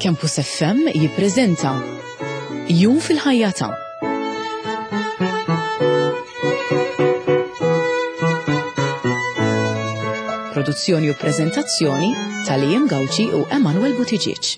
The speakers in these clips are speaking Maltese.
Campus FM jippreżenta Jum fil-ħajja ta' Produzzjoni u preżentazzjoni ta' Liam Gauci u Emanuel Buttigieg.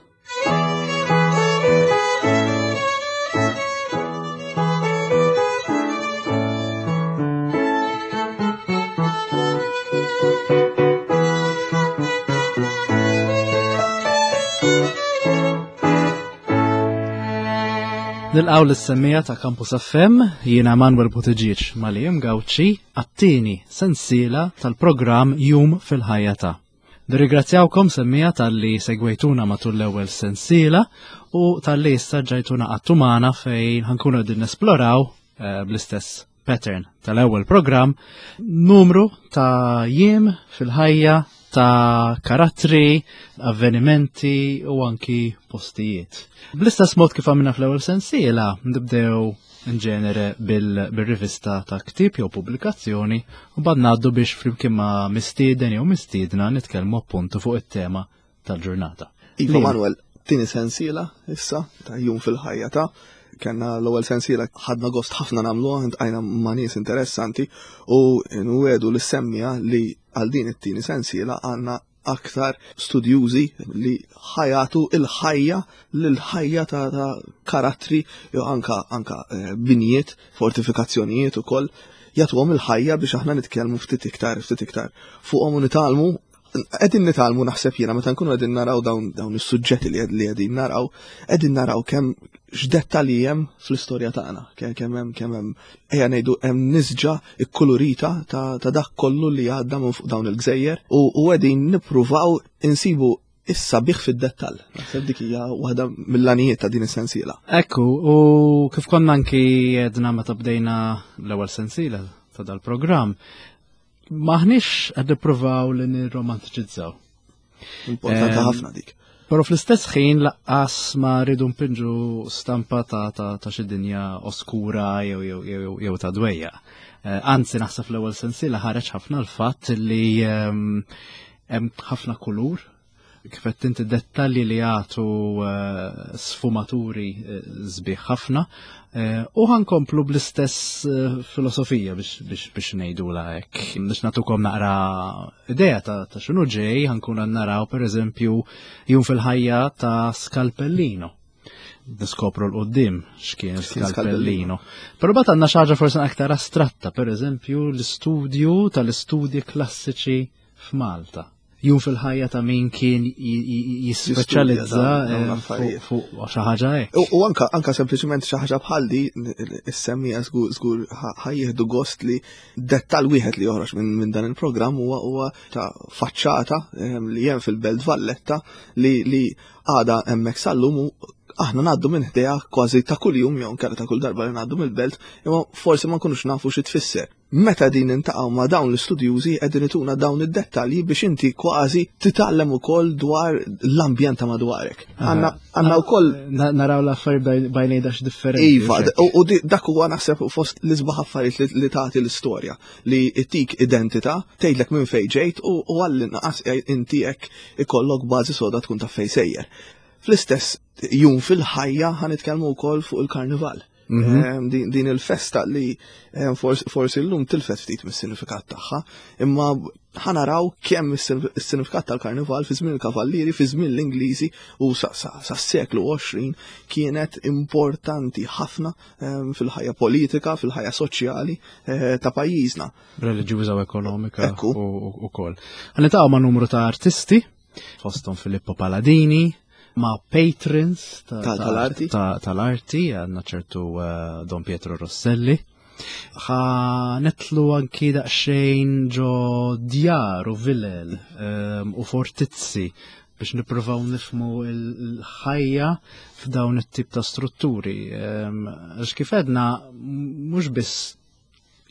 Nilqaw l-semmija ta' Campus FM, jiena Manuel Buttigieg Malim Gauci, għattini sensiela tal-programm Jum fil-ħajja ta'. Nirringrazzjawkom semmija tal-li segwejtuna matul l-ewwel sensiela u tal-li issa ġajtuna għattu magħna fejn ħankunu qegħdin nesploraw eh, bl-istess pattern tal-ewwel programm numru ta' jiem fil-ħajja ta' karattri, avvenimenti u anki postijiet. Bl-istess mod kif għamilna fl-ewwel sensiela, nibdew in ġenere bil-rivista ta' ktib jew pubblikazzjoni u bad ngħaddu biex flimkien ma' mistieden jew mistiedna nitkellmu appuntu fuq it-tema tal-ġurnata. Iva Manuel, tini sensiela issa ta' jum fil-ħajja ta' kellna l-ewwel sensiela ħadna gost ħafna nagħmluha intqajna ma' nies interessanti u nwedu li semmija li għal din it-tieni sensiela għandna aktar studjużi li ħajatu il-ħajja l-ħajja ta', ta karattri jew anka anka eh, binjiet, fortifikazzjonijiet ukoll jagħtuhom il-ħajja biex aħna nitkellmu ftit iktar ftit iktar fuqhom u nitgħallmu qegħdin nitgħallmu naħseb jiena meta nkunu qegħdin naraw dawn dawn is-suġġetti li qegħdin naraw, qegħdin naraw kemm x'dettalji hemm fl-istorja tagħna, kemm hemm kemm hemm ejja ngħidu hemm nisġa kkulurita ta' dak kollu li għadda minn fuq dawn il-gżejjer u qegħdin nippruvaw insibu is-sabiħ fid-dettall. Naħseb dik hija waħda mill-għanijiet ta' din is-sensiela. Ekku, u kif konna anki jedna meta bdejna l-ewwel sensiela ta' dal-programm, maħniex qed nippruvaw li nirromantiċizzaw. Importanti ħafna dik. Però fl-istess ħin laqqas ma rridu npinġu stampa ta' ta' ta' xi dinja oskura jew jew jew jew ta' dwejja. Eh, anzi naħseb fl-ewwel sensiela ħareġ ħafna l-fatt li ehm, hemm ħafna kulur kif qed inti dettalji li jagħtu eh, sfumaturi eh, sbieħ ħafna eh, u ħankomplu bl-istess filosofija biex biex biex ngħidula hekk. Biex nagħtukom naqra idea ta' ta' x'inhu ġej ħankun naraw pereżempju jum fil-ħajja ta' Scalpellino. Niskopru l-qoddim x'kien Scalpellino. Però bat għandna xi ħaġa forsi aktar astratta, pereżempju l-istudju tal-istudji klassiċi f'Malta. Jum fil-ħajja ta' min kien jispeċjalizza eh, fuq xi ħaġa hekk. U anka anka sempliċement xi ħaġa bħal di issemmija żgur ħajjieħdu gost li dettal wieħed li joħroġ minn dan il-programm huwa huwa ta' faċċata ehm, li hemm fil-Belt Valletta li li għada hemmhekk sal-lum u aħna ngħaddu minn ħdejha kważi ta' kuljum jew nkella ta' kull darba li ngħaddu mill-belt, imma forsi ma nkunux nafu xi tfisser. Meta din nintaqgħu ma' dawn l-istudjużi qegħdin ituna dawn id-dettalji biex inti kważi titgħallem ukoll dwar l-ambjent ta' madwarek. Għandna wkoll naraw l-affarijiet bajnejdax differenti. Iva, u dak huwa naħseb fost l-isbaħ affarijiet li tagħti l-istorja li tik identità, tgħidlek minn fejn ġejt u għall-inqas inti hekk ikollok bażi soda tkun taf fejn sejjer. Fl-istess jum fil-ħajja ħanitkellmu wkoll fuq il-karnival. Mhm. Ehm, din il-festa li ehm, forsi l-lum tilfet ftit mis-sinifikat tagħha, imma ħanaraw kemm is-sinifikat tal-karnival fi żmien il-kavallieri, fi żmien l-Ingliżi u sa seklu 20 kienet importanti ħafna ehm, fil-ħajja politika, fil-ħajja soċjali eh, ta' pajjiżna. Reliġjuża u ekonomika u kol. Ħanitaqgħu ma' numru ta' artisti fosthom Filippo Paladini, ma' patrons tal-arti, tal-arti, għanna ċertu eh, Don Pietro Rosselli. Ħa netlu anki daqsxejn ġo djar u vilel ehm, u fortizzi biex nippruvaw nifmu l-ħajja f'dawn it-tip ta' strutturi. Ehm, għax kif edna mhux biss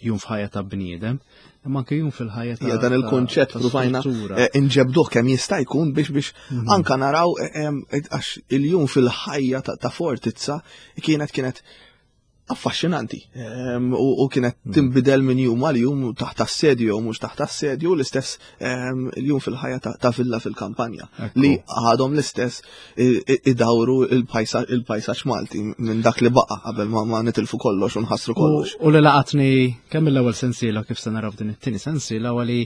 jum f'ħajja ta' bniedem, imma anke jum fil-ħajja ta' dan il-konċett provajna eh, inġebduh kemm jista' jkun biex biex mhm. anka naraw eh, eh, għax il-jum fil-ħajja ta' fortizza kienet kienet affaxxinanti ehm, u kienet hmm. tinbidel minn jum għal jum taħt assedju u mhux taħt assedju l-istess ehm, jum fil-ħajja ta' villa fil-kampanja li għadhom l-istess idawru il-pajsaġġ Malti minn dak li baqa' qabel ma nitilfu kollox u nħassru kollox. U li laqatni kemm l-ewwel sensiela kif se naraw din it-tieni sensiela għali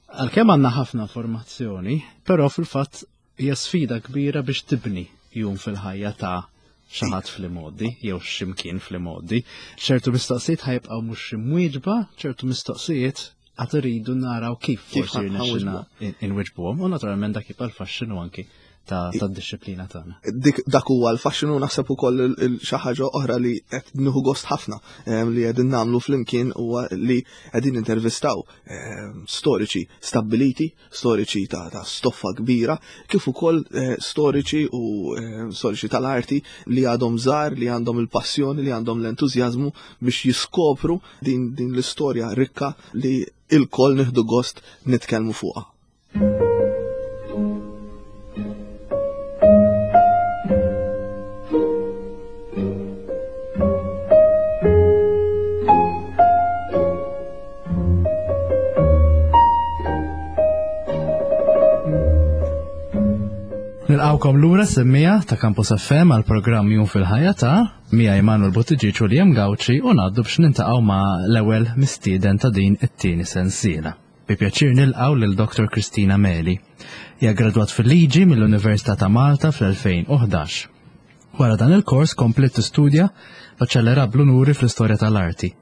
għalkemm għandna ħafna informazzjoni, però fil-fatt hija sfida kbira biex tibni jum fil-ħajja ta' xi ħadd fl-imgħoddi jew x'imkien fl-imgħoddi. ċertu mistoqsijiet ħajbqgħu mhux imwieġba, ċertu mistoqsijiet għad iridu naraw kif forsi jirnexxilna inwiġbuhom u naturalment dak jibqa' l-faxxinu anki ta' tad-disciplina tagħna. Dik dak huwa l-faxxinu naħseb ukoll xi ħaġa oħra li qed nieħu gost ħafna eh, li qegħdin nagħmlu flimkien huwa li qegħdin intervistaw eh, storiċi stabbiliti storiċi ta', ta stoffa kbira, kif ukoll eh, storiċi u eh, storiċi tal-arti li għadhom żgħar, li għandhom il-passjoni, li għandhom l-entużjażmu biex jiskopru din, din l-istorja rikka li il-koll nieħdu gost nitkellmu fuqha. Nilqawkom lura semmija ta' Campus FM għal programm Jum fil-ħajja ta' Mija Emanuel Buttigieg u Liam Gauci u ngħaddu biex nintaqgħu ma' l-ewwel mistieden ta' din it-tieni sensiela. Bi pjaċir nilqgħu lil Dr. Kristina Meli. Hija gradwat fil-liġi mill-Università ta' Malta fl-2011. Wara dan il-kors kompliet tistudja baċellerat bl-unuri fl-istorja tal-arti.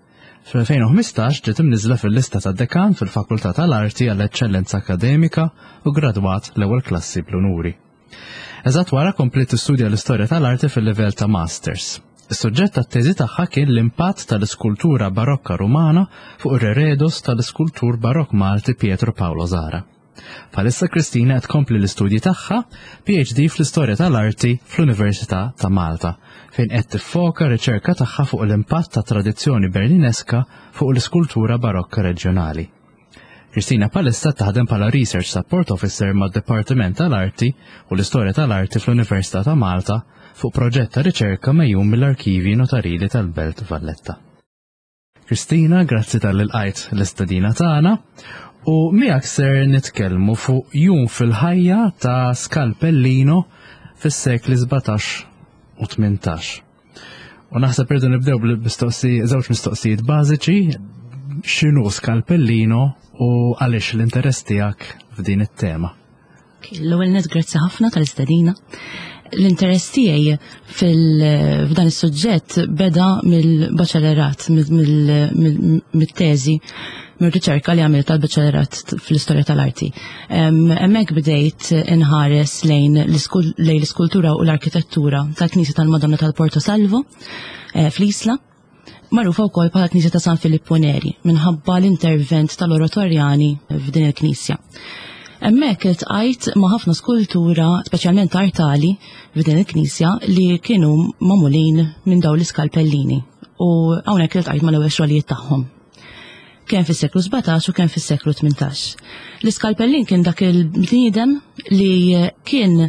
Fl-2015 ġiet imniżżla fil-lista tad-dekan fil-Fakultà tal-Arti għall-Eċċellenza Akkademika u ggradwat l-ewwel klassi bl-unuri. Eżatt wara kompliet tistudja l-istorja tal-arti fil-livell ta' Masters. Is-suġġett tat-teżi tagħha kien l-impatt tal-iskultura barokka Rumana fuq ir-reredos tal-iskultur barokk Malti Pietro Paolo Zara. Bħalissa Kristina qed tkompli l-istudji tagħha PhD fl-Istorja tal-Arti fl-Università ta' Malta, fejn qed tiffoka riċerka tagħha fuq l-impatt ta' tradizzjoni Berlineska fuq l-iskultura barokka reġjonali. Kristina bħalissa taħdem bħala Research Support Officer mad-Dipartiment tal-Arti u l-Istorja tal-Arti fl-Università ta' Malta fuq proġett ta' riċerka mejjum mill-Arkivji Notarili tal-Belt Valletta. Kristina, grazzi tal lqajt l-istedina tagħna u miegħek ser nitkellmu fuq jum fil-ħajja ta' Scalpellino fis-sekli 17 u 18. U naħseb irdu nibdew bil-mistoqsi żewġ mistoqsijiet bażiċi, x'inhu Scalpellino u għaliex l-interess tiegħek f'din it-tema. L-ewwel net grazzi ħafna tal-istedina. L-interess tiegħi f'dan is-suġġett beda mill-baċellerat, mit-teżi, mir-riċerka li għamilt tal-baċellerat fl-istorja tal-arti. Hemmhekk bdejt inħares lejn l-iskultura u l-arkitettura tal-Knisja tal-Madonna tal-Porto Salvo eh, fl-Isla magħrufa wkoll bħala Knisja ta' San Filippo Neri minħabba l-intervent tal-Oratorjani f'din il-knisja. Hemmhekk iltqajt ma' ħafna skultura, speċjalment artali, f'din il-knisja li kienu magħmulin minn dawn l-iskalpellini u hawnhekk iltqajt mal-ewwel xogħlijiet tagħhom. Kemm fis-seklu 17 u kemm fis-seklu 18. L-iskalpellin kien dak il-bniedem li kien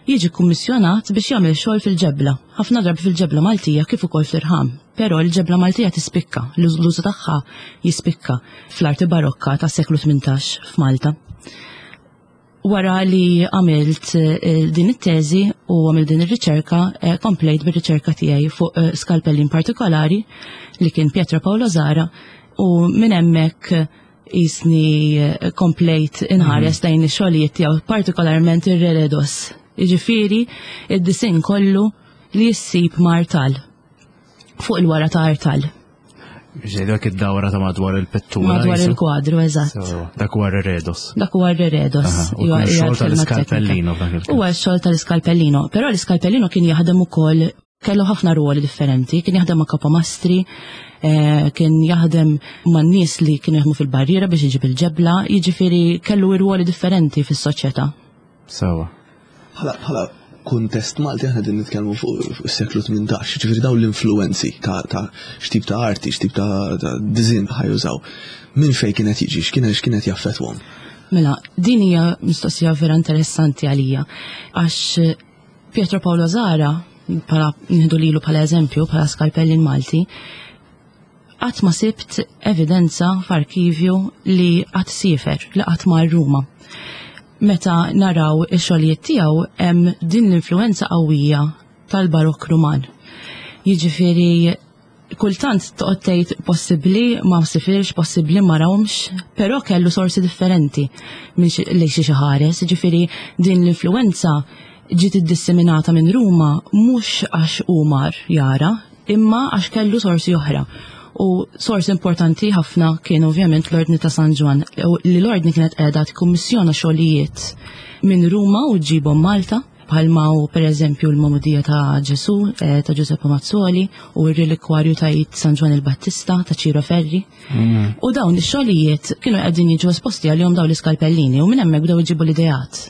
jiġi kkummissjonat biex jagħmel xogħol fil-ġebla, ħafna drabi fil-ġebla Maltija kif ukoll fl-irħam. Però l-ġebla Maltija tispikka, l-użu tagħha jispikka fl-arti barokka tas-seklu 18 f'Malta. Wara li għamilt eh, din it-teżi u għamilt din ir-riċerka, eh, komplejt bir-riċerka tiegħi fuq eh, skalpellin partikolari li kien Pietro Paolo Zara u minn hemmhekk jisni eh, komplejt inħares mhm. lejn ix-xogħlijiet tiegħu, partikolarment ir-reredos. Jiġifieri id-disin kollu li jissib martal fuq il-wara ta' artal. Ġej dak id-dawra ta' madwar il-pittura. Madwar il-kwadru, eżatt. Dak huwa r-reredos. Dak huwa r-reredos. Huwa x-xogħol tal-iskalpellino. Huwa x-xogħol tal-iskalpellino, però l-iskalpellino kien jaħdem ukoll Kellu ħafna ruoli differenti, kien jaħdem ma' kapomastri, eh, kien jaħdem ma' nies li kienu jaħdmu fil-barriera biex iġib il-ġebla, jiġifieri kellu ruoli differenti fis-soċjetà. Sawa. Bħala kuntest Malti aħna din nitkellmu fuq is-seklu 18, ġifieri dawn l-influenzi ta' x'tip ta' arti, x'tip ta' diżin ħajużaw. Minn fejn kienet jiġi, x'kienet x'kienet jaffettwhom? Mela, din hija mistoqsija vera interessanti għalija għax Pietro Paolo Zara bħala nieħdu lilu bħala eżempju, bħala skalpellin Malti, qatt ma sibt evidenza f'arkivju li qatt siefer, li qatt mar Ruma. Meta naraw ix-xogħlijiet tiegħu hemm din l-influenza qawwija tal-Barokk Ruman. Jiġifieri kultant toqgħod tgħid possibbli ma sifirx, possibbli ma rawhomx, però kellu sorsi differenti minn lejn xi ħares, jiġifieri din l-influenza ġiet iddisseminata minn Ruma mhux għax hu mar jara, imma għax kellu sorsi oħra. U sors importanti ħafna kien ovvjament l-Ordni ta' San Ġwann, li l-Ordni kienet qiegħda tikkummissjona xogħlijiet minn Ruma u ġġibhom Malta, bħalma hu pereżempju l-Magħmudija ta' Ġesù eh, ta' Giuseppe Mazzoli u r-Relikwarju ta' Id San Ġwann il-Battista ta' Ciro Ferri. Mm. U dawn ix-xogħlijiet kienu qegħdin jiġu esposti għalihom dawn l-iskalpellini u minn hemmhekk bdew iġibu l-ideat.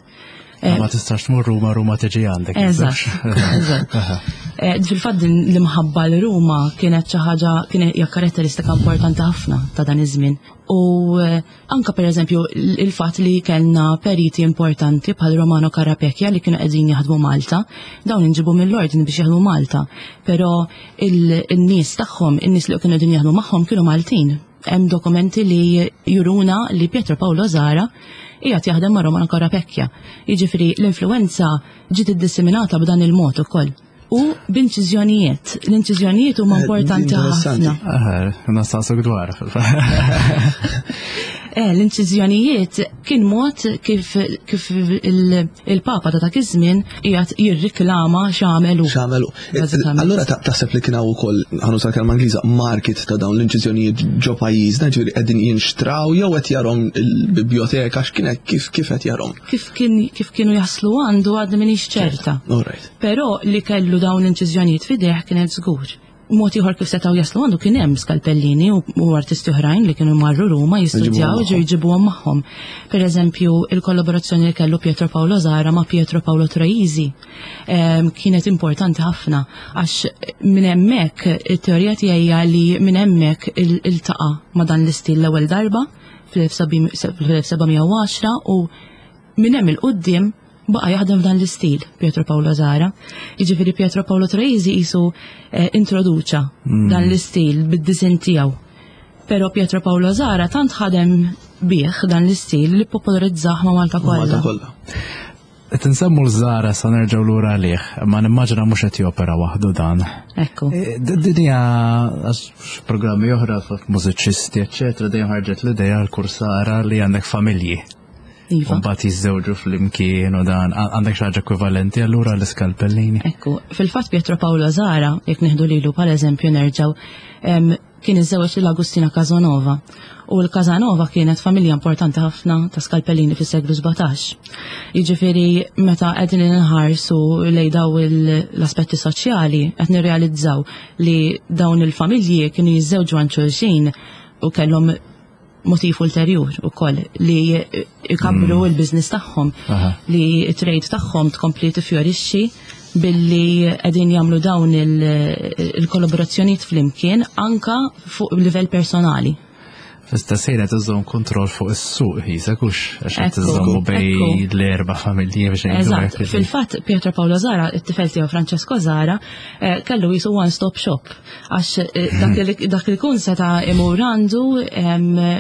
Eh, ma tistax tmur Ruma, Ruma tiġi għandek. Eżatt. Eh, fil-fatt din l-imħabba l Ruma kienet xi ħaġa kienet hija karatteristika importanti ħafna ta' dan iż-żmien. U eh, anka pereżempju il-fatt li kellna periti importanti bħal Romano Carapecchia li kienu qegħdin jaħdmu Malta, dawn inġibu mill-ordni biex jaħdmu Malta, però il-nies tagħhom, in-nies li kienu qegħdin jaħdmu magħhom kienu Maltin. Hemm dokumenti li juruna li Pietro Paolo Zara qiegħed jaħdem ma' Romano Carapecchia. Jiġifieri l-influenza ġiet iddisseminata b'dan il-mod ukoll. U b'inċiżjonijiet. L-inċiżjonijiet huma eh, importanti ħafna. Nastaqsuk dwar. Eh, l-inċiżjonijiet kien mod kif, kif il-Papa ta' dak iż-żmien qiegħed jirriklama x'għamel hu. X'għamel hu. Allura taħseb li kien hawn ukoll ħanuża l-kelma Ingliża market ta' dawn l-inċiżjonijiet ġo pajjiżna, ġifieri qegħdin jinxtraw jew qed jarhom il-biblioteka x'kien kif kif qed jarhom? Kif kien kif kienu jaslu għandu għadni m'iniex ċerta. Però li kellu dawn l-inċiżjonijiet f'idejh kienet żgur. Mod ieħor kif setgħu jaslu għandu kien hemm skalpellini u artisti oħrajn li kienu marru Ruma jistudjaw ġew jġibuhom magħhom. Per eżempju, il-kollaborazzjoni li kellu Pietro Paolo Zara ma' Pietro Paolo Troisi ehm, kienet importanti ħafna għax minn hemmhekk it-teorija tiegħi hija li minn hemmhekk iltaqa' ma' dan l-istil l-ewwel darba fl-1710 u Minn hemm 'il quddiem baqa' jaħdem f'dan l-istil Pietro Paolo Zara. Jiġifieri Pietro Paolo Troisi qisu eh, introduċa mm. dan l-istil bid-disin tiegħu. Però Pietro Paolo Zara tant ħadem bih dan l-istil li popolarizzah ma' Malta kollha. Malta kollha. Qed insemmu l-Zara sa nerġgħu lura għalih, ma nimmaġina mhux qed jopera waħdu dan. Ekku. E, din hija programmi oħra mużiċisti, eċċetera, dejjem ħarġet l-idea l-kursara li għandek familji. Iva. Mbagħad jiżżewġu flimkien u dan għandek xi ħaġa ekwivalenti allura l-iskalpellini. Ekku, fil-fatt Pietro Paolo Zara, jekk nieħdu lilu bħala eżempju nerġgħu, kien iżżewweġ lil Agustina Casanova. U l-Casanova kienet familja importanti ħafna ta' skalpellini fis-seklu 17. Jiġifieri meta qegħdin inħarsu lejn daw l-aspetti soċjali qed nirrealizzaw li dawn il-familji kienu jiżżewġu għand xulxin u kellhom motiv ulterjur ukoll li jkabbru mm. il-biznis tagħhom li trade tagħhom tkompli tifjorixxi billi qegħdin jagħmlu dawn il-kollaborazzjonijiet flimkien anka fuq livell personali. Fl-istess ħin qed iżżomm kontroll fuq is-suq jisek hux għax qed iżommu bej l-erba' familji biex Eżatt, fil-fatt Pietro Paolo Zara, it-tifel tiegħu Francesco Zara, eh, kellu jisu one-stop shop Għax eh, dak li kun seta' imur għandu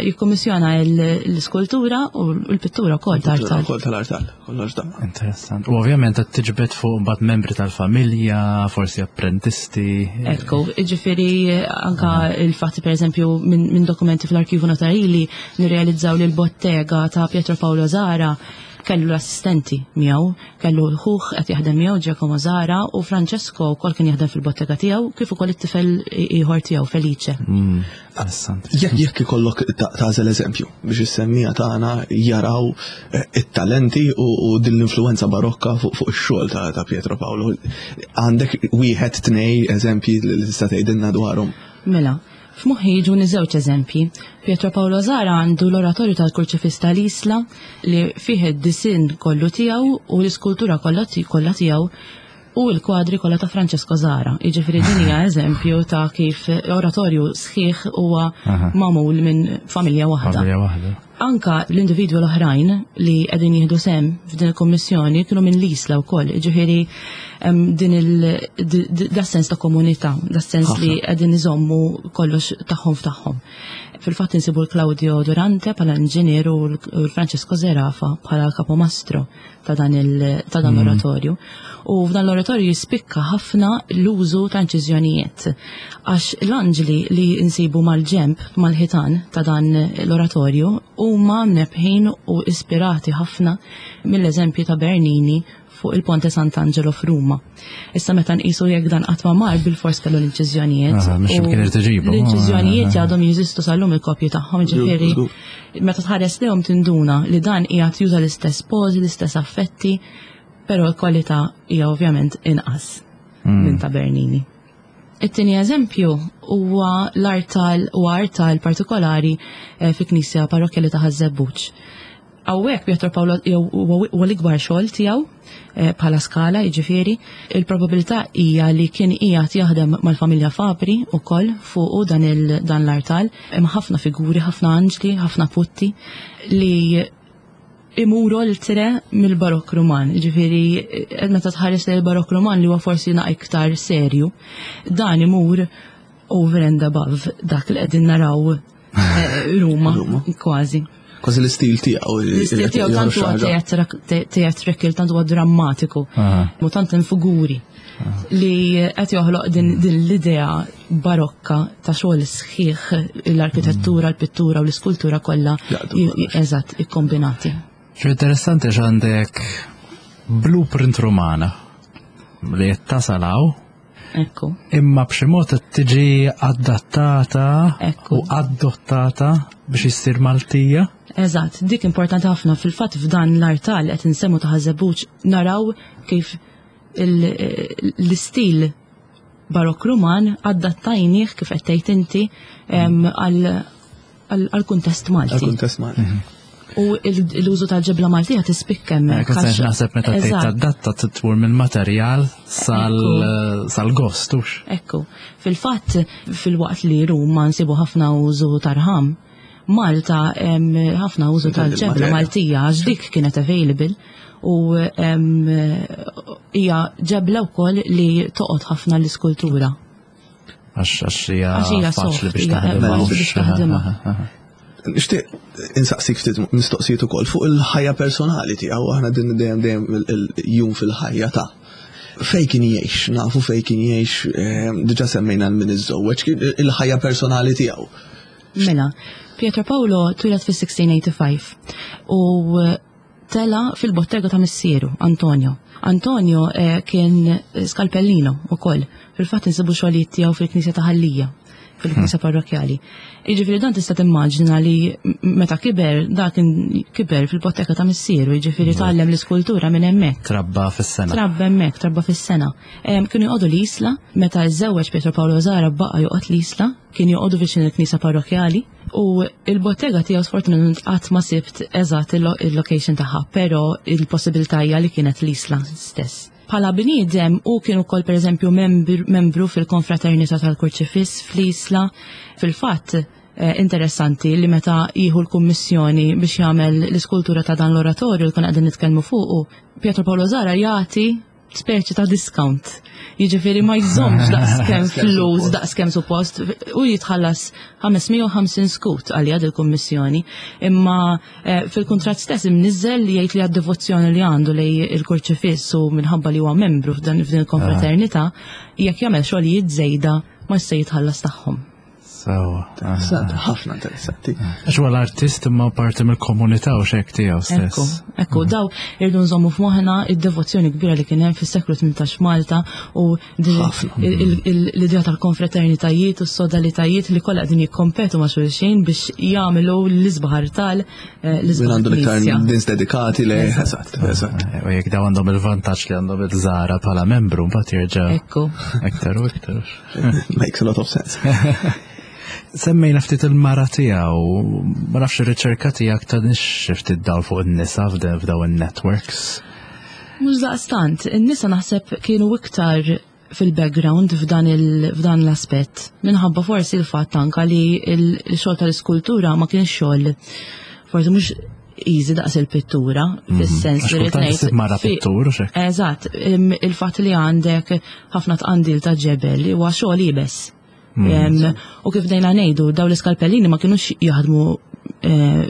jikkummissjona l-iskultura u l-pittura wkoll tal-artal. Kol tal-artal, kollox daqqa. Interessant. U ovvjament qed tiġbed fuq mbagħad membri tal-familja, forsi apprentisti. Ekku, ġifieri anka il-fatt pereżempju minn dokumenti fl-arkivu notarili nirrealizzaw li l-bottega ta' Pietro Paolo Zara kellu l-assistenti miegħu, kellu ħuh qed jaħdem miegħu Giacomo Zara u Francesco wkoll kien jaħdem fil-bottega tiegħu kif ukoll it-tifel ieħor tiegħu Felice. Mm, jekk jekk ikollok tagħżel eżempju biex is-semmija tagħna jaraw eh, it-talenti u din l-influenza barokka fuq ix-xogħol ta' Pietro Paolo, għandek wieħed tnej eżempji li tista' tgħidilna dwarhom. Mela, F'moħħi jiġuni żewġ eżempji. Pietro Paolo Zara għandu l-Oratorju tal-Kurċifiss tal-Isla li fih id-disinn kollu tiegħu u l-iskultura kollha tiegħu u l-kwadri kollha ta' Francesco Zara. Jiġifieri din hija eżempju ta' kif oratorju sħiħ huwa magħmul minn familja waħda. Familja waħda. Anka l-individwi l-oħrajn li qegħdin jieħdu sem f'din il-kummissjoni kienu minn l-Isla wkoll, ġifieri din il sens ta' komunità, da sens li qegħdin iżommu kollox tagħhom f'tagħhom. Fil-fatt insibu l-Claudio Durante bħala inġinier u l-Francesco Zerafa bħala kapomastro ta' dan l-oratorju. U f'dan l-oratorju jispikka ħafna l-użu ta' inċiżjonijiet. Għax l-anġli li nsibu mal-ġemp, mal-ħitan ta' dan l-oratorju huma mnebbħin u ispirati ħafna mill-eżempju ta' Bernini fuq il-Ponte Sant'Angelo f'Ruma. Issa meta nqisu jekk dan qatt ma mar bil-fors kellu l-inċiżjonijiet. L-inċiżjonijiet għadhom jeżistu sal-lum il-kopji tagħhom, ġifieri meta tħares lejhom tinduna li dan qiegħed juża l-istess pożi, l-istess affetti, però l-kwalità hija ovvjament inqas minn ta' Bernini. It-tieni eżempju huwa l-artal u artal partikolari fi knisja parrokkjali ta' Ħaż-Żebbuġ. Hawnhekk Pietro Paolo huwa l-ikbar xogħol tiegħu bħala skala, jiġifieri, il-probabilità hija li kien qiegħed jaħdem mal-familja Fabri wkoll fuqu dan dan l-artal. Hemm ħafna figuri, ħafna anġli, ħafna putti li imuru oltre mill-Barokk Ruman. Jiġifieri meta tħares lejn il-Barokk Ruman li huwa forsi naqra iktar serju, dan imur over and above dak li qegħdin naraw Ruma, kważi. Kważi l-istil tiegħu. L-istil tiegħu tant huwa theatrical, tant huwa drammatiku, u tant hemm figuri li qed joħloq din l-idea barokka ta' xogħol sħiħ l-arkitettura, l-pittura u l-iskultura kollha eżatt ikkombinati. Xi interessanti għandek blueprint Rumana li qed tasalaw. Ekku. Imma b'xi mod qed tiġi adattata u adottata biex issir Maltija. Eżatt, dik importanti ħafna. Fil-fatt f'dan l-artal qed insemmu ta' Ħaż-Żebbuġ naraw kif l-istil barokk Ruman adattajnieh kif qed tgħid inti għal-kuntest Malti. Għal-kuntest Malti. U l-użu tal-ġebla Maltija tispikka hemmhekk. Kont naħseb meta tgħid tadatta titwur mill-materjal sal-gost, hux. Ekku. Fil-fatt, fil-waqt li Ruma nsibu ħafna użu tarħam, Malta ħafna użu tal-ġebla Maltija għax dik kienet available u hija ġebla wkoll li toqgħod ħafna l-iskultura. Għax hija faċli biex taħdimha. Nixtieq insaqsik ftit mistoqsijiet ukoll fuq il-ħajja personali tiegħu, aħna din dejjem dejjem il-jum fil-ħajja ta' fej kien jgħix, nafu fej kien jgħix, diġà semmejna l-min iżżewweġ, il-ħajja personali tiegħu. Mela, Pietro Paolo twieled fis-1685 u tela fil-bottega ta' missieru, Antonio. Antonio kien skalpellino ukoll. Fil-fatt insibu xogħlijiet tiegħu fil-Knisja ta' Ħal Lija, fil-Knisja parrokjali. Jiġifieri dan tista' timmaġina li meta kiber, dak kien kiber fil-bottega ta' missieru, jiġifieri tgħallem l-iskultura minn hemmhekk. Trabba fis-sengħa. Trabba hemmhekk, trabba fis-sengħa. Kienu joqogħdu l-Isla, meta żżewweġ Pietro Paolo Zara baqa' joqgħod l-Isla, kien joqogħdu viċin il-Knisja parrokjali u il-bottega tiegħu sfortunatament qatt ma sibt eżatt il-location tagħha, però il-possibilità hija li kienet l-Isla stess. Bħala bniedem u kien ukoll pereżempju membru fil-konfraternità tal-Kurċifiss fl-Isla. Fil-fatt interessanti li meta jieħu l-kummissjoni biex jagħmel l-iskultura ta' dan l-oratorju li konna qegħdin nitkellmu fuqu, Pietro Paolo Zara jagħti speċi ta' discount. Jiġifieri ma jżommx daqskemm flus, daqskemm suppost, u jitħallas 550 skut għalija dil-kummissjoni. Imma fil-kuntratt stess imniżżel li jgħid li għad-devozzjoni li għandu lej il-kurċifiss u minħabba li huwa membru f'dan f'din il-konfraternità, jekk jagħmel xogħlijiet żejda ma se jitħallas tagħhom. Sewa. Interessanti, ħafna interessanti. Għax huwa l-artist imma parti mill-komunità u xek tiegħu stess. Ekku, ekku, daw irdu nżommu f'moħħna id-devozzjoni kbira li kien hemm fis-seklu 18 Malta u din Ħafna. l-idea tal-konfraternitajiet u s-sodalitajiet li kollha qegħdin jikkompetu ma' xulxin biex jagħmlu l-isbaħ artal, l-isbaħ Min għandu l-iktar knisja. nies dedikati le, eżatt, eżatt. U jekk daw għandhom il-vantaġġ li għandhom il-Zara bħala membru, mbagħad jerġa' Ekku. iktar u iktar. Makes a lot of sense. Semmejna ftit il-mara tiegħu, ma nafx ir-riċerka tiegħek ta' nix ftit dawl fuq in-nisa f'daw in-networks. Mhux daqstant, in-nisa naħseb kienu iktar fil-background f'dan l-aspett. Minħabba forsi l-fatt anka li il-xogħol tal-iskultura ma kienx xogħol Forsi mhux easy daqs il-pittura, mhm. fis-sens li rrid ngħid. Mara pittur u xek. Eżatt, il-fatt li għandek ħafna tqandil ta' ġebel huwa xogħol iebes. Mhm. U kif dejna ngħidu, daw l-iskalpellini ma kinux jaħdmu eh,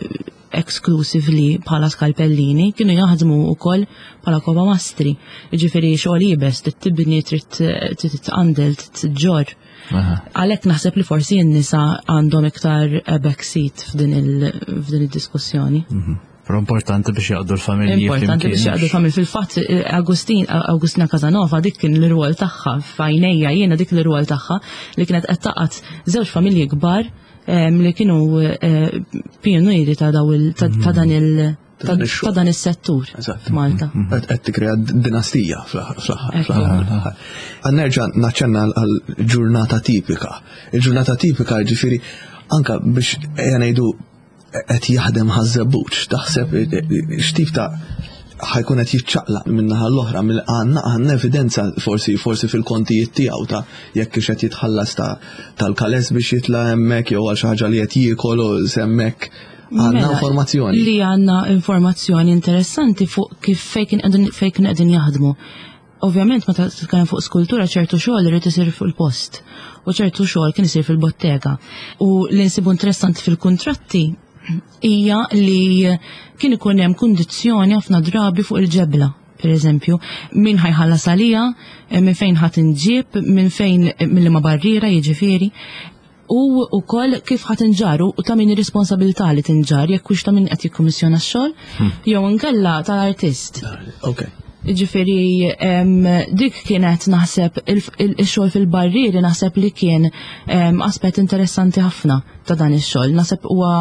exclusively bħala skalpellini, kienu jaħdmu wkoll bħala koba mastri. Ġifieri xogħol iebes, trid tibni, trid tqandel, trid tġorr. Għalhekk naħseb li forsi n-nisa għandhom iktar backseat f'din id-diskussjoni. Mhm. Però importanti biex jaqdu l-familji. Importanti biex jaqdu l-familji. Fil-fatt, eh, Agustin, Agustina Casanova dik kien l-rwol tagħha f'għajnejja jiena dik l-rwol tagħha li kienet qed taqgħod żewġ familji kbar eh, li kienu eh, pioniri ta' dan il- ta' dan is-settur f'Malta. Mhm. Qed tikkrea dinastija fl-aħħar. Nerġa' naċċenna għal ġurnata tipika. Il-ġurnata tipika ġifieri anka biex ejja ngħidu qed jaħdem ħaż-żebbuġ, taħseb x'tip ta' ħajkun qed jiċċaqlaq minn naħa l-oħra mill għandna għandna evidenza forsi forsi fil-kontijiet tiegħu ta' jekk qed jitħallas ta' tal-kales biex jitla' hemmhekk jew għal xi ħaġa li qed jiekol u hemmhekk għandna mela, informazzjoni. Li għandna informazzjoni interessanti fuq kif fejn kien qegħdin jaħdmu. Ovvjament meta titkellem fuq skultura ċertu xogħol irid isir fuq il-post u ċertu xogħol kien isir fil-bottega. U li nsibu interessanti fil-kuntratti hija li kien ikun hemm kundizzjoni ħafna drabi fuq il-ġebla per eżempju, min ħajħallas għalija, eh, minn fejn ħat inġib, minn fejn eh, minn ma barriera jiġifieri u wkoll kif ħa tinġar u ta' min ir-responsabilità li tinġar jekk hux ta' min qed jikkummissjona x-xogħol hmm. jew inkella tal-artist. Ok. Ġifieri dik kienet naħseb il-xogħol fil-barrieri naħseb li kien aspett interessanti ħafna ta' dan ix-xogħol. Naħseb huwa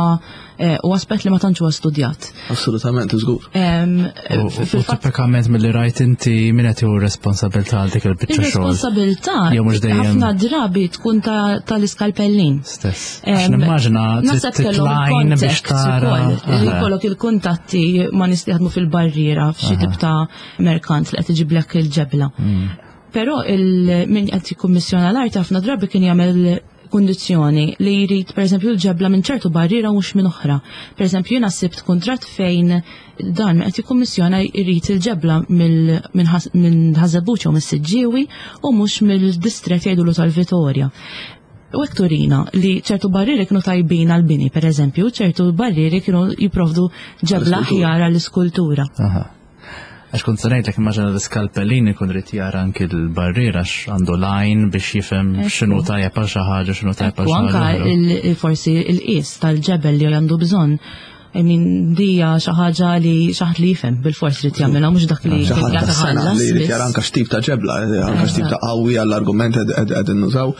eh, u aspett li ma tantx huwa studjat. Assolutament, żgur. U tipikament milli rajt inti min qed jieħu responsabilità għal dik il-biċċa xogħol. Ir-responsabilità ħafna drabi tkun tal-iskalpellin. Stess. Għax nimmaġina titlajn biex tara. Li jkollok il-kuntatti ma' nies li jaħdmu fil-barriera f'xi tip ta' merkant li qed iġiblek il-ġebla. Mm. Però il-min qed jikkummissjona l-art ħafna drabi kien jagħmel kundizzjoni li jrid pereżempju l-ġebla minn ċertu barriera mhux minn oħra. Pereżempju jiena sibt kuntratt fejn dan qed jikkummissjona jrid il-ġebla minn Ħażebbuġ jew mis-Siġġiewi u mhux mill-distrett jgħidulu tal-Vitorja. U hekk turina li ċertu barrieri kienu tajbin għall-bini, pereżempju, ċertu barrieri kienu jipprovdu ġebla aħjar għall-iskultura. Għax kont se ngħidlek immaġina l-iskalpellin ikun rid jara anki l-barriera għax għandu l-għajn biex jifhem x'inhu tajjeb għal xi ħaġa, x'inhu tajjeb għal xi ħaġa. Anka forsi l-qies tal-ġebel li għandu bżonn. I mean, dija xi ħaġa li xi ħadd li jifhem bil-fors li jagħmilha mhux dak li xi ħadd tas-sena li jrid jara anke x'tip ta' ġebla, anke x'tip ta' qawwi għall-argument qegħdin nużaw.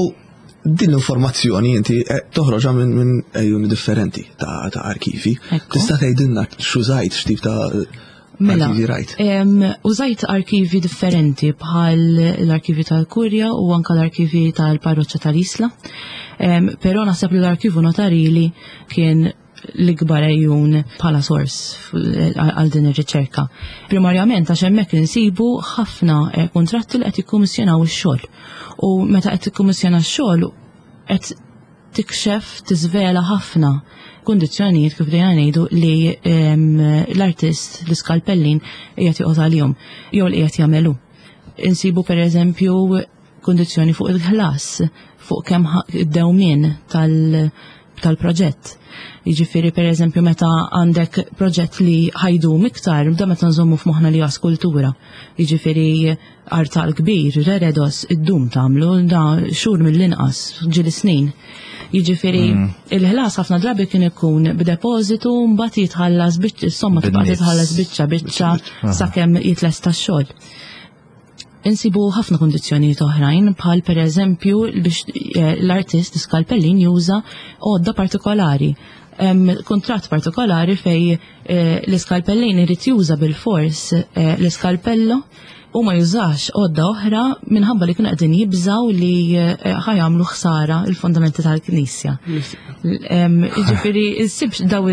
U Din l-informazzjoni inti eh, toħroġha minn ejjuni differenti ta' arkivi. Tista' tgħidilna x'użajt x'tip ta' Mela, arkivi rajt? Użajt arkivi differenti bħal l-arkivi tal-Kurja u anka l-arkivi tal-Parroċċa tal-Isla. Però naħseb li l-arkivu notarili kien l-ikbar għejjun bħala sors għal din ir-riċerka. Primarjament għax hemmhekk insibu ħafna eh, kuntratti li qed jikkummissjonaw ix-xogħol. U meta qed tikkummissjona x-xogħol qed tikxef tiżvela ħafna kundizzjonijiet kif dejja ngħidu li ehm, l-artist l-iskalpellin qiegħed joqgħod għalihom jew li qiegħed jagħmelu. Insibu pereżempju kundizzjoni fuq il-ħlas, fuq kemm id-dewmien tal- tal-proġett. Jiġifieri pereżempju meta għandek proġett li ħajdum iktar, da meta nżommu f'moħħna li skultura. Jiġifieri artal kbir, reredos, id-dum tagħmlu da xhur mill-inqas, ġieli snin. Jiġifieri mm. il-ħlas ħafna drabi kien ikun b'depożitu mbagħad jitħallas biċċa, somma tibqa' titħallas biċċa biċċa sakemm jitlesta x-xogħol. Insibu ħafna kundizzjonijiet oħrajn bħal pereżempju biex eh, l-artist skalpellin juża għodda partikolari. Kuntratt partikolari fej eh, l-iskalpellin irid juża bil-fors eh, l-iskalpello u ma jużax għodda oħra minħabba li kienu qegħdin jibżaw li eh, ħajamlu ħsara il-fondamenti tal-Knisja. Jiġifieri issibx daw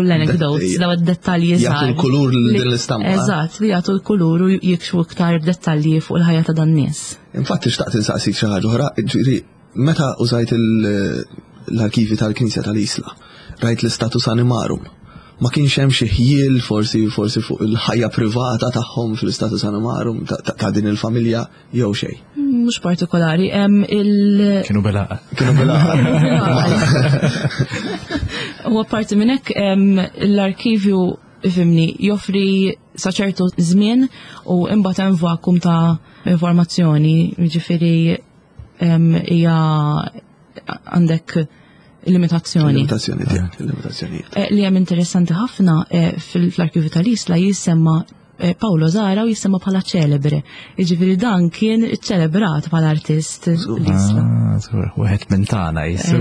l-anecdotes, daw id-dettalji żgħar. Jagħtu l-kulur lil din l-istampa. Eżatt, li jagħtu l-kulur u jikxfu iktar dettalji fuq il-ħajja ta' dan nies. Infatti xtaqt insaqsik xi ħaġa oħra, ġifieri meta użajt l-arkivi tal-Knisja tal-Isla. rajt l-istatus animarum. Ma kienx hemm xi ħjiel forsi forsi fuq il-ħajja privata tagħhom fl-istatus animarum ta' din il-familja jew xejn. Mhux partikolari, hemm il Kienu belaqa. Kienu belaqa. U apparti minn hekk l-arkivju ifimni joffri sa ċertu żmien u imbagħad hemm vakum ta' informazzjoni, jiġifieri hija għandek limitazzjoni. Limitazzjoni tiegħek, limitazzjoni. Eh, li hemm interessanti ħafna eh, fl-arkivju tal-Isla jissemma eh, Paolo Zara u jissemma bħala ċelebre. Jiġifieri dan kien ċelebrat bħala artist l-Isla. Ah, wieħed minn tagħna jissu.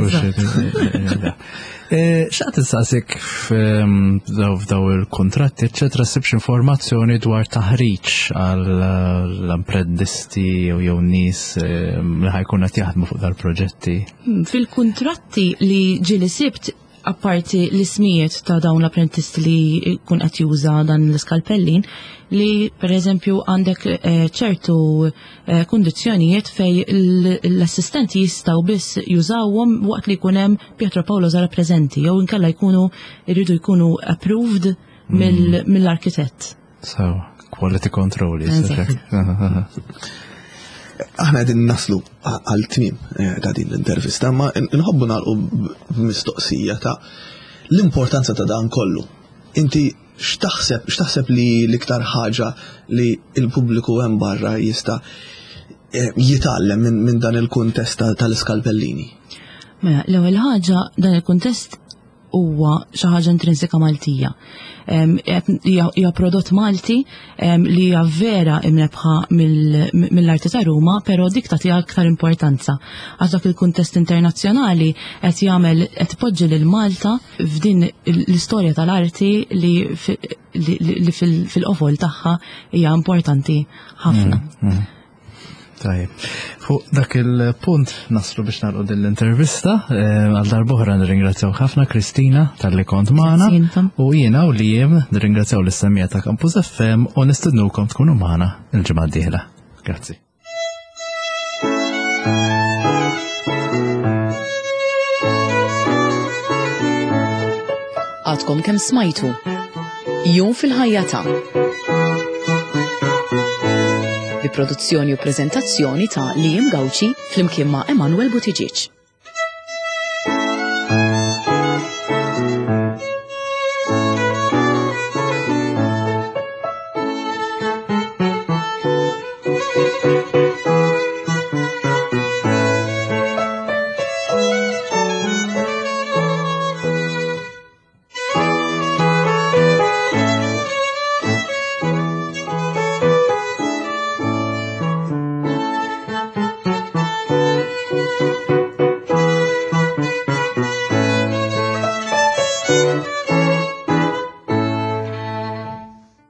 Eh, xaqt insaqsik f'daw il-kontratti, eccetera, sibx informazzjoni dwar taħriġ għall-apprendisti jew jew nies eh, li ħajkun qed jaħdmu fuq dal-proġetti. Hmm, fil-kontratti li ġieli sibt apparti l-ismijiet ta' dawn l-apprentisti li kun qed juża dan l-iskalpellin li per eżempju għandek eh, ċertu eh, kundizzjonijiet fej l-assistenti jistgħu biss jużawhom waqt li jkun hemm Pietro Paolo Zara preżenti jew inkella jkunu jridu jkunu approved mm. mill-arkitett. So, quality control Aħna qegħdin naslu għal tmiem eh, ta' din l-intervista, ma nħobbu nagħlqu b'mistoqsija ta' l-importanza ta' dan kollu. Inti x'taħseb x'taħseb li l-iktar ħaġa li l-pubbliku hemm barra jista' eh, jitgħallem minn dan il-kuntest tal-iskalpellini? Mela, l-ewwel ħaġa dan il-kuntest huwa xi ħaġa intrinsika Maltija. Hija prodott Malti li hija vera imrebħa mill-arti ta' Ruma, però dik tagħtiha aktar importanza. Għax dak il-kuntest internazzjonali qed jagħmel qed ipoġġi lil Malta f'din l-istorja tal-arti li fil-qofol tagħha hija importanti ħafna. Mm, mm. Tajjeb. Fuq dak il-punt naslu biex nagħlqu din l-intervista, eh, għal darb'oħra nirringrazzjaw ħafna Kristina tal-li kont magħna u jiena u li jiem nirringrazzjaw l-istemmija ta' Campus FM u nistednukom tkunu magħna il-ġimgħa d-dieħla. Grazzi. Għadkom kemm smajtu. Jum fil-ħajja ta' bi produzzjoni u preżentazzjoni ta' Liam Gauci flimkien ma' Emanuel Buttigieg.